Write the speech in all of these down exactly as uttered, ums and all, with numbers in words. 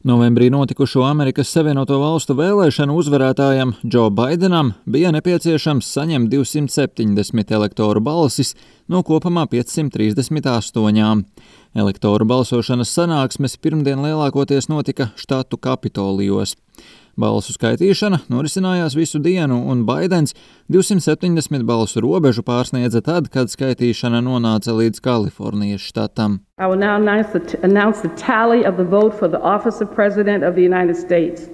Novembrī notikušo Amerikas Savienoto Valstu vēlēšanu uzvarētājam Džo Baidenam bija nepieciešams saņemt divsimt septiņdesmit elektoru balsis no kopumā piecsimt trīsdesmit astoņām. Elektoru balsošanas sanāksmes pirmdien lielākoties notika štatu Kapitolijos. Balsu skaitīšana norisinājās visu dienu, un Baidens divsimt septiņdesmit balsu robežu pārsniedza tad, kad skaitīšana nonāca līdz Kalifornijas štatam. I will now announce the, announce the tally of the vote for the office of President of the United States.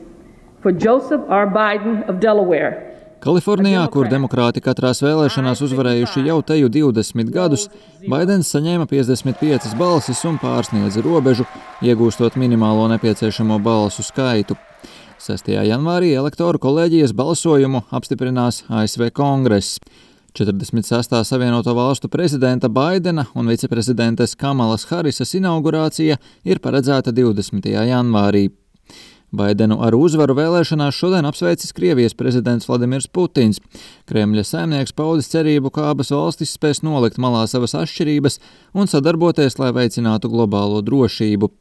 For Joseph R. Biden of Delaware. Kalifornijā, kur demokrāti katrās vēlēšanās uzvarējuši jau teju divdesmit gadus, Baidens saņēma piecdesmit piecas balsis un pārsniedza robežu, iegūstot minimālo nepieciešamo balsu skaitu. sestajā janvārī elektoru kolēģijas balsojumu apstiprinās A S V Kongress. četrdesmit sestā Savienoto Valstu prezidenta Baidena un viceprezidentes Kamalas Harisas inaugurācija ir paredzēta divdesmitajā janvārī. Baidenu ar uzvaru vēlēšanās šodien apsveicis Krievijas prezidents Vladimirs Putins. Kremļa saimnieks paudis cerību, ka abas valstis spēs nolikt malā savas atšķirības un sadarboties, lai veicinātu globālo drošību.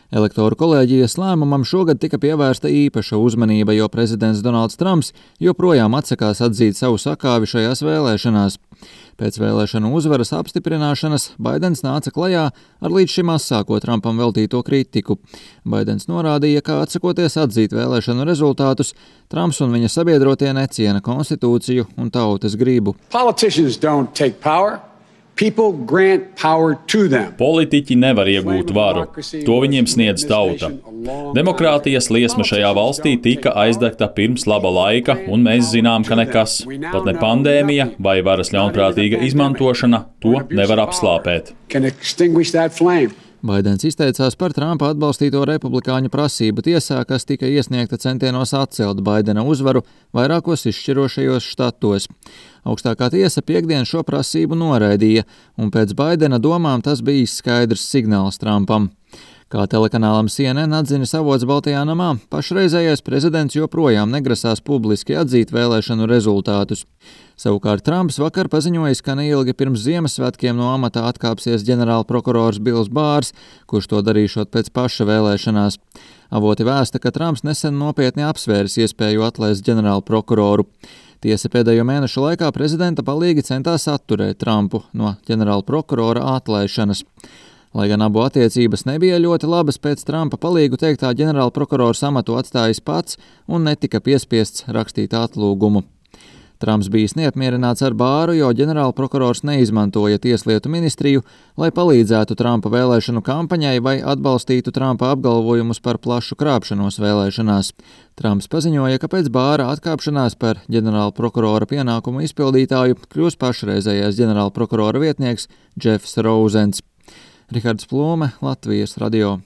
Elektoru kolēģijas lēmumam šogad tika pievērsta īpaša uzmanība, jo prezidents Donalds Trumps joprojām atsakās atzīt savu sakāvi šajās vēlēšanās. Pēc vēlēšanu uzvaras apstiprināšanas Baidens nāca klajā ar līdz šim asāko Trumpam veltīto kritiku. Baidens norādīja, ka atsakoties atzīt vēlēšanu rezultātus, Trumps un viņa sabiedrotie neciena konstitūciju un tautas gribu. Politicians don't take power. People grant power to them. Politiķi nevar iegūt varu. To viņiem sniedz tauta. Demokrātijas liesma šajā valstī tika aizdegta pirms laba laika, un mēs zinām, ka nekas, pat ne pandēmija vai varas ļaunprātīga izmantošana, to nevar apslāpēt. Baidens izteicās par Trumpa atbalstīto republikāņu prasību tiesā, kas tika iesniegta centienos atcelt Baidena uzvaru vairākos izšķirošajos štatos. Augstākā tiesa piekdien šo prasību noraidīja, un pēc Baidena domām tas bija skaidrs signāls Trumpam. Kā telekanālam C N N atzinis avots Baltajā namā, pašreizējais prezidents joprojām negrasās publiski atzīt vēlēšanu rezultātus. Savukārt Trumps vakar paziņojis, ka neilgi pirms Ziemassvētkiem no amata atkāpsies ģenerālprokurors Bils Bārs, kurš to darīšot pēc paša vēlēšanās. Avoti vēsta, ka Trumps nesen nopietni apsvēris iespēju atlaist ģenerālprokuroru. Tiesa pēdējo mēnešu laikā prezidenta palīgi centās atturēt Trumpu no ģenerālprokurora atlaišanas. Lai gan abu attiecības nebija ļoti labas, pēc Trumpa palīgu teiktā ģenerālprokurors amatu atstājis pats un netika piespiests rakstīt atlūgumu. Trumps bijis neapmierināts ar Bāru, jo ģenerālprokurors neizmantoja tieslietu ministriju, lai palīdzētu Trumpa vēlēšanu kampaņai vai atbalstītu Trumpa apgalvojumus par plašu krāpšanos vēlēšanās. Trumps paziņoja, ka pēc Bāra atkāpšanās par ģenerālprokurora pienākumu izpildītāju kļūs pašreizējais ģenerālprokurora vietnieks Jeffs Rouzens. Rihards Plūme, Latvijas radio.